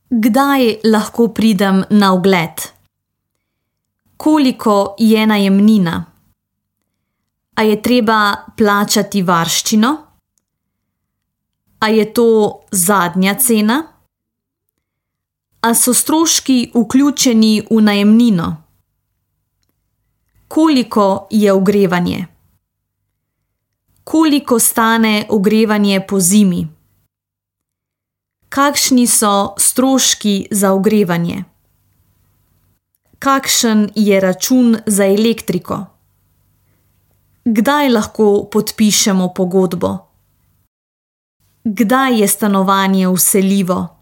Kdaj lahko pridem na ogled? Koliko je najemnina? A je treba plačati varščino? A je to zadnja cena? A so stroški vključeni v najemnino? Koliko je ogrevanje? Koliko stane ogrevanje pozimi? Kakšni so stroški za ogrevanje? Kakšen je račun za elektriko? Kdaj lahko podpišemo pogodbo? Kdaj je stanovanje vseljivo?